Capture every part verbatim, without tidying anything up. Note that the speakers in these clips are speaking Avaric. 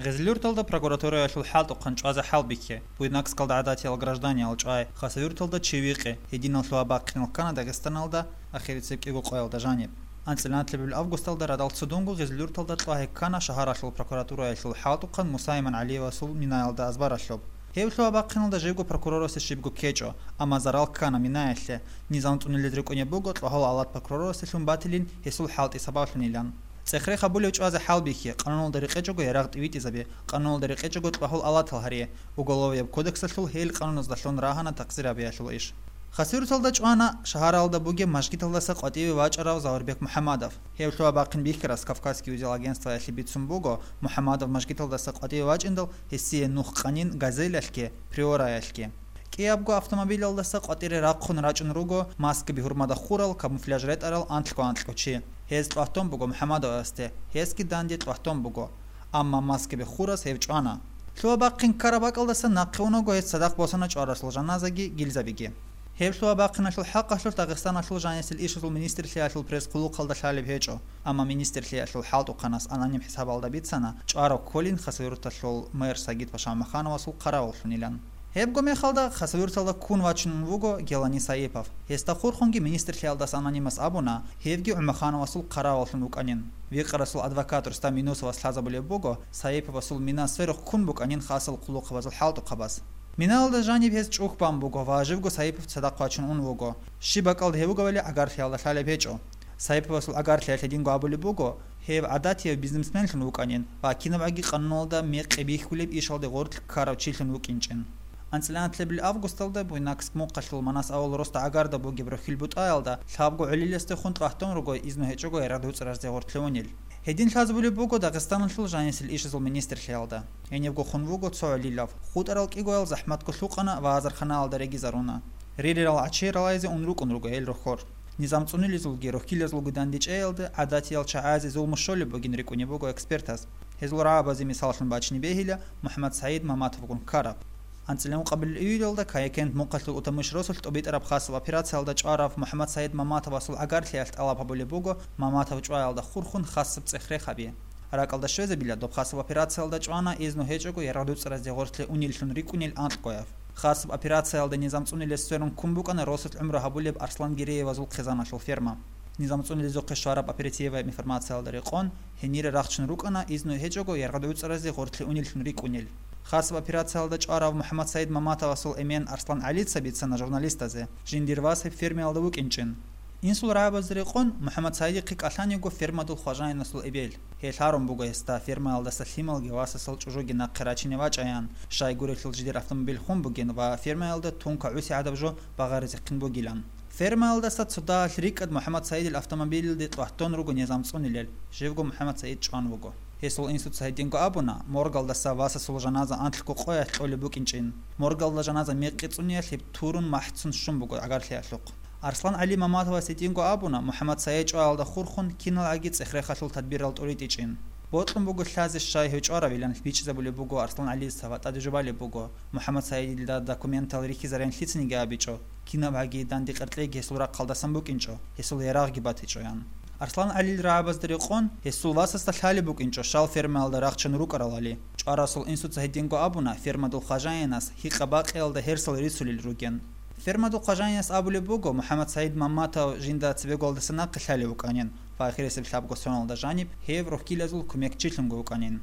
Гъезлъюрталда прокуратураялъул хӀалтӀухъан чӀвазе хӀалбихье, Буйнакскалда гӀадатиял гражданиял чӀвай, Хасавюрталда чи вихъе, гьединал лъугьа-бахъинал ккана Дагъистаналда ахирисеб кӀиго къоялда жаниб. АнцӀила нилъ августалда радал цудунго Гъезлъюрталда кьвагьи ккана шагьаралъул прокуратураялъул хӀалтӀухъан Мусаиман ГӀалиевасул минаялда азбаралъуб. Гьеб лъугьа-бахъиналда живго прокурорасде щибго ккечӀо, амма зарал ккана минаялъе. Низам цӀунилез рекӀунеб буго, кьвагьал алат прокурорасдалъун батилин гьесул хӀалтӀи сабаблъунилан. ЦӀех-рех гьабулев чӀвазе хӀалбихье, къануналда рекъечӀого ярагъ тӀивитӀизабе, къануналда рекъечӀого кьвагьал алатал гьаре, Уголовияб кодексалъул гьел къануназдалъун рагьана такъсир гьабиялъул иш. Хасавюрталда чӀвана шагьаралда бугеб мажгиталдаса къватӀиве вачӀарав Заурбек МухӀамадов. Гьев лъугьа-бахъин бихьарас Кавказский узел агентствоялъе бицун буго, МухӀамадов мажгиталдаса къватӀиве вачӀиндал, гьесие нух къанин «Газелялъги», «Приораялъги». КӀиябго автомобилалдаса къватӀире рахъун рачӀун руго маскаби гьурмада хурал, камуфляж ретӀарал анлъго-анкьго чи. Гьез тӀватун буго МухӀамадовасде, гьесги данде тӀватун буго. Амма маскаби хурас гьев чӀвана. Лъугьа-бахъин ккараб бакӀалдаса нахъе унаго гьес цадахъ босана чӀварасул жаназаги гилзабиги. Гьеб лъугьа-бахъиналъул хӀакъалъулъ Дагъистаналъул жанисел ишазул министрлъиялъул пресс-хъулухъалда лъалеб гьечӀо, амма министрлъиялъул хӀалтӀухъанас аноним хӀисабалда бицана чӀварав кколин Хасавюрталъул мэр Сагид-паша ГӀумахановасул хъаравуллъунилан. Гьебго мехалда Хасавюрталда ккун вачун вуго Гелани Саипов. Гьесда хурхунги министрлъиялдаса анонимас абуна, гьевги ГӀумахановасул хъаравуллъун вукӀанин. Викъарасул адвокат Рустам Юнусовас лъазабулеб буго, Саиповасул мина сверухъ ккун букӀанин хасал хъулухъабазул хӀалтӀухъабаз. Минаялда жаниб гьес чӀухь бан буго ва живго Саипов цадахъ вачун ун вуго. Щиб бакӀалда гьев вугевали гӀагарлъиялда лъалеб гьечӀо. Саиповасул гӀагарлъиялъ гьединго абулеб буго, гьев гӀадатияв бизнесменлъун вукӀанин ва кинабгӀаги къануналда мекъи бихьулеб ишалде гъорлъ ккарав чилъун вукӀинчӀин. АнцӀила нилъ августалда Буйнакск мухъалъул Манас авул росда гӀагарда бугеб рохьил бутӀаялда лъабго гӀолиласдехун тӀватун руго изну гьечӀого ярагъ-дуцӀразде гъорлъе унел. Гьедин лъазабулеб буго Дагъистаналъул жанисел ишазул министрлъиялда. Гьенибго хун вуго цо гӀолилав. ХутӀарал кӀигоял захӀматго лъукъана ва азарханаялда регизаруна. Ририрал гӀачи ралайзе ун рукӀун руго гьел рохьор. Низам цӀунилезулги рохьилазулги дандечӀеялда гӀадатиял чагӀазе зулму щолеб бугин рикӀкӀунеб буго экспертаз. Гьезул рагӀабазе мисаллъун бачине бегьила МухӀаммад СагӀид Маматовгун ккараб. АнцӀила ункъабилеб июлалда Каякент мухъалъул Утамыш росулъ тӀубитӀараб хасаб операциялда чӀварав МухӀаммад СагӀид Маматовасул гӀагарлъиялъ тӀалаб гьабулеб буго Маматов чӀваялда хурхун хасаб цӀех-рех гьабе. РакӀалда щвезабила доб хасаб операциялда чӀвана изну гьечӀого ярагъ-дуцӀразде гъорлъе унеллъун рикӀкӀунел анкьгояв. Хасаб операциялда низам цӀунилес сверун ккун букӀана росулъ гӀумру гьабулеб Арслан Гиреевазул хъизаналъул ферма. Низам цӀунилезухъе щвараб оперативаяб информациялда рекъон, гьенире рахчун рукӀана изну гьечӀого ярагъ-дуцӀразде гъорлъе унеллъун рикӀкӀунел. Хасаб операциялда чӀварав МухӀаммад СагӀид Маматовасул эмен Арслан ГӀалица бицана журналистазе, жиндир вас гьеб фермаялда вукӀинчӀин. Инсул рагӀабазда рекъон, МухӀаммад СагӀидихъе кӀалъан йиго фермадул хважаинасул эбел. Гьел гьарун буго гьесда фермаялдаса лъималги васасул чӀужуги нахъе рачине вачӀаян, щайгурелъул жидер автомобиль хун бугин ва фермаялда тунка гӀуси гӀадаб жо багъаризехъин бугилан. Фермаялдаса цо дагьалъ рикӀкӀад МухӀаммад СагӀидил автомобилалде тӀватун руго низам цӀунилел, живго МухӀаммад СагӀид чӀван вуго. Гьесул инсуца гьединго абуна, моргалдаса васасул жаназа анлъго къоялъ кьолеб букӀинчӀин. Моргалда жаназа мекъи цӀуниялъ гьеб турун махӀцун щун буго гӀагарлъиялъухъ. Арслан ГӀали Маматовас гьединго абуна, МухӀаммад СагӀид чӀваялда хурхун киналгӀаги цӀех-рехалъул тадбирал тӀуритӀичӀин. Бокьун буго лъазе щай гьев чӀваравилан бичӀчӀизабулеб буго Арслан ГӀалица ва тӀаде жубалеб буго, МухӀаммад СагӀидилда документал рихьизарин лъицаниги абичӀо, кинабгӀаги данде къеркьейги гьесул рахъалдасан букӀинчӀо, гьесул ярагъги батичӀо, ян. Арслан ГӀалил рагӀабазда рекъон, гьесул васасда лъалеб букӀинчӀо щал фермаялда рахчун рукӀаралали. ЧӀварасул инсуца гьединго абуна, фермадул хважаинас гьикъа-бакъиялда гьерсал рицулел ругин. Фермадул хважаинас абулеб буго, МухӀаммад СагӀид Мамматов жинда цебеголдаса нахъе лъалев вукӀанин ва ахирисеб лъабго соналда жаниб гьев рохьилазул кумекчилъунго вукӀанин.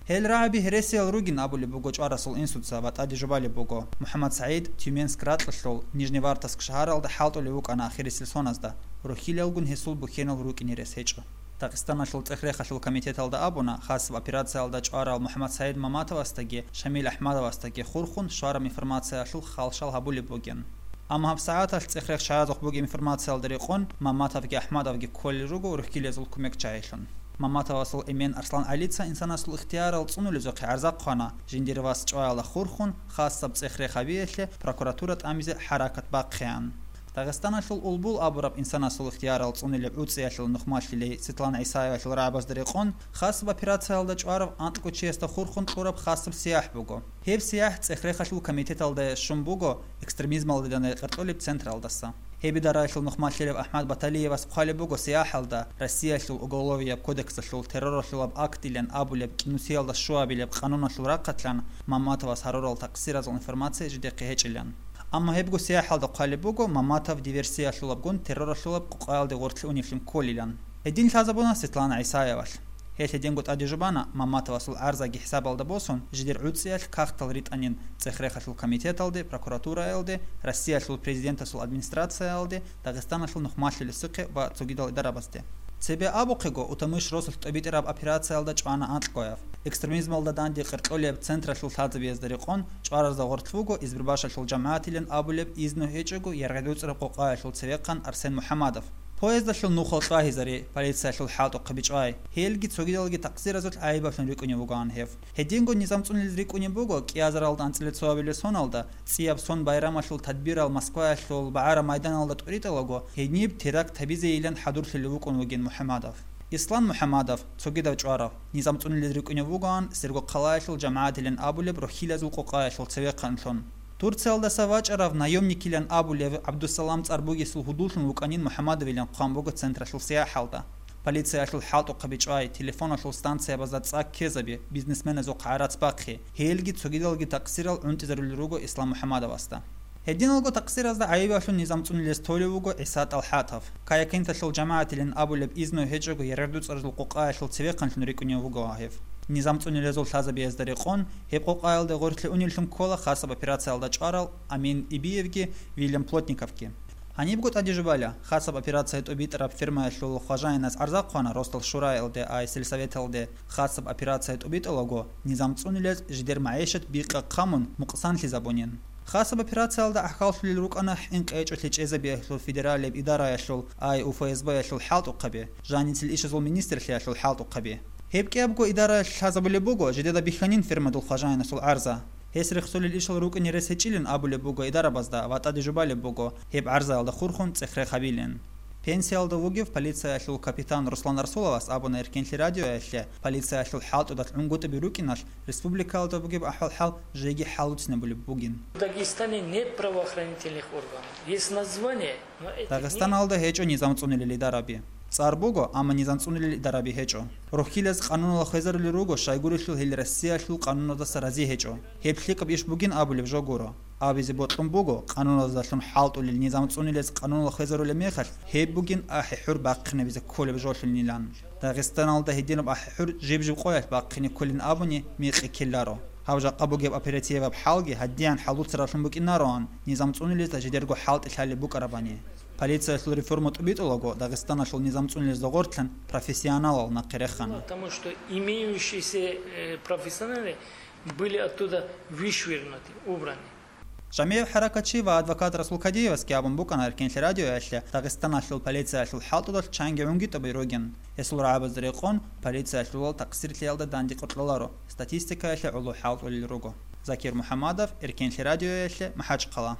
Гьел рагӀаби гьересиял ругин абулеб буго чӀварасул инсуца ва тӀаде жубалеб буго, МухӀаммад СагӀид Тюменск ракьалъул Нижневартовск шагьаралда хӀалтӀулев вукӀана ахирисел соналда, рохьилалгун гьесул бухьенал рукӀине рес гьечӀо. Дагъистаналъул цӀех-рехалъул комитеталда абуна, хасаб операциялда чӀварал МухӀаммад СагӀид Маматовасдаги Шамил АхӀмадовасдаги хурхун щвараб информациялъул халщал гьабулеб бугин. Амма гьабсагӀаталъ цӀех-рех чагӀазухъ бугеб информациялда рекъон, Маматовги АхӀмадовги кколел руго рохьилазул кумекчагӀилъун. Маматовасул эмен Арслан ГӀалица инсанасул ихтиярал цӀунулезухъе гӀарза хъвана, жиндир вас чӀваялда хурхун, хасаб цӀех-рех гьабиялъе прокуратура тӀамизе хӀаракат бахъеян. Дагъистаналъул Улбул абураб инсанасул ихтиярал цӀунилеб ГӀуцӀиялъул нухмалъилей Светлана ГӀисаевалъул рагӀабазда рекъон, хасаб операциялда чӀварав анкьго чиясда хурхун кьураб хасаб сияхӀ буго. Гьеб сияхӀ цӀех-рехалъул комитеталда щун буго экстремизмалдилан рекъаркьулеб централдаса. Гьеб идараялъул нухмалъилев АхӀмад Баталиевас хъвалеб буго, СеяхӀалда Россиялъул Уголовияб кодексалъул терроралъулаб актилан абулеб кӀинусиялда щуабилеб къануналъул рахъалъан Мамматовас гьарурал такъсиразул информация жидехъе гьечӀилан. Амма гьебго СеяхӀалда хъвалеб буго, Мамматов диверсиялъулабгун терроралъулаб къукъаялде гъорлъе уневлъун кколилан. Гьедин лъазабуна Светлана ГӀисаевалъ. Гьелъ гьединго тӀаде жубана Мамматовасул гӀарзаги хӀисабалда босун, жидер гӀуцӀиялъ кагътал ритӀанин ЦӀехрехалъул комитеталде, прокуратураялде, Россиялъул Президентасул администрациялде, Дагъистаналъул нухмалъулесухъе ва цогидал идарабазде. Цебе абухъего, Утамыш росулъ тӀобитӀараб операциялда чӀвана анкьгояб. Экстремизмалда данде къеркьолеб централъул лъазабиязда рекъон чӀваразда гъорлъ вуго Избербашалъул жамагӀатилан абулеб изну гьечӀого яргъи-дуцӀраб къукъаялъул цевехъан Арсен МухӀаммадов. Поездалъул нухал чӀвагьизаре полициялъул хӀалтӀухъаби чӀвай. Гьелги цогидалги такъсиразулъ гӀайибаблъун рикӀкӀунев вугоан гьев. Гьединго низамцӀунилез рикӀкӀунеб буго кӀиазаралда анцӀила цоабилеб соналда, цӀияб сон байрамалъул тадбирал Москваялъул БагӀара майданалда тӀуритӀалаго, гьениб теракт гьабизейилан хӀадурлъулев вукӀун вугин МухӀаммадов. Ислам МухӀаммадов, цогидав чӀварав, низамцӀунилез рикӀкӀунев вугоан Сергокъалаялъул жамагӀатилан абулеб рохьилазул къукъаялъул цевехъанлъун. Турциялдаса вачӀарав наемникилан абулев ГӀабдусалам цӀар бугесул гьудуллъун вукӀанин МухӀаммадовилан хъван буго централъул СеяхӀалда. Полициялъул хӀалтӀухъаби чӀвай, телефоналъул станциябазда цӀа ккезаби, бизнесменазухъ гӀарац бахъи, гьелги цогидалги такъсирал гӀунтӀизарулел руго Ислам МухӀаммадовасда. Гьединалго такъсиразда гӀайибаблъун низамцӀунилез толев вуго ГӀиса ТӀалхӀатов. Каякенталъул жамагӀатилан абулеб изну гьечӀого яргъи-дуцӀралъул къукъаялъул цевехъанлъун рикӀкӀунев вуго гьев. НизамцӀунилезул лъазабиязда рекъон, гьеб къукъаялде гъорлъе унеллъун ккола хасаб операциялда чӀварал Амин Ибиевги Вильям Плотниковги. Гьанибго тӀаде жубала, хасаб операция тӀубитӀараб фермаялъул хважаинас гӀарза хъвана Росдал Шураялде ай сельсоветалде хасаб операция тӀубитӀулаго, низамцӀунилез жидер магӀишат бикъа хъамун мукъсанлъизабунин. Хасаб операциялда гӀахьаллъулел рукӀана хӀинкъи гьечӀолъи чӀезабиялъул федералияб идараялъул ай УФСБ-ялъул хӀалтӀухъаби, жаницел ишазул министрлъиялъул хӀалтӀухъаби. Гьеб кӀиябго идараялъ лъазабулеб буго жидеда бихьанин фермадул хважаинасул гӀарза. Гьес рехсолел ишал рукӀине рес гьечӀилин абулеб буго идарабазда ва тӀаде жубалеб буго, гьеб гӀарзаялда хурхун цӀехрех гьабилин. Пенсиялда вугев полициялъул капитан Руслан Расуловас абуна Эркенлъи радиоялъе, полициялъул хӀалтӀудалъ гӀунгутӀиби рукӀиналъ республикаялда бугеб ахӀвал-хӀал жеги хӀалуцинабулеб бугин. В Дагестане нет правоохранительных органов. Есть название, но этих нет. Дагъистаналда гьечӀо низамцӀунилел идараби. ЦӀар буго, амма низамцӀунилел идараби гьечӀо. Рохьилаз къануналда хвезарулел руго, щайгурелъул гьел Россиялъул къануназдаса рази гьечӀо. Гьеб лъикӀаб иш бугин абулеб жо гуро. Абизе бокьун буго, къануназдалъун хӀалтӀулел низамцӀунилез къануналда хвезарулеб мехалъ, гьеб бугин ахӀи-хӀур бахъинабизе кколеб жолъунилан. Дагъистаналда гьединаб ахӀи-хӀур жиб-жиб къоялъ бахъине кколин абуни мекъи ккеларо. Гьаб жакъа бугеб оперативаб хӀалги гьадиян хӀалуцаралъун букӀинароан, низамцӀунилезда жидерго хӀалтӀи лъалеб букӀарабани. Полициялъул реформа тӀубитӀулаго, Дагъистаналъул низамцӀунилезда гъортлъан профессионалал нахъе рехана. Потому что имеющиеся, э, профессионалы были оттуда вышвырнуты, убраны. Жамигьев хӀаракатчи ва адвокат Расул Кадиевасги абун букӀана Эркенлъи радиоялъе, Дагъистаналъул полициялъул хӀалтӀудалъ чанги гӀунгутӀиби ругин. Гьесул рагӀабазда рекъон, полициялъулал такъсирлъиялда данде къоркьоларо, статистикаялъе гӀоло хӀалтӀулел руго. Закир МухӀаммадов, Эркенлъи радиоялъе, МахӀачхъала.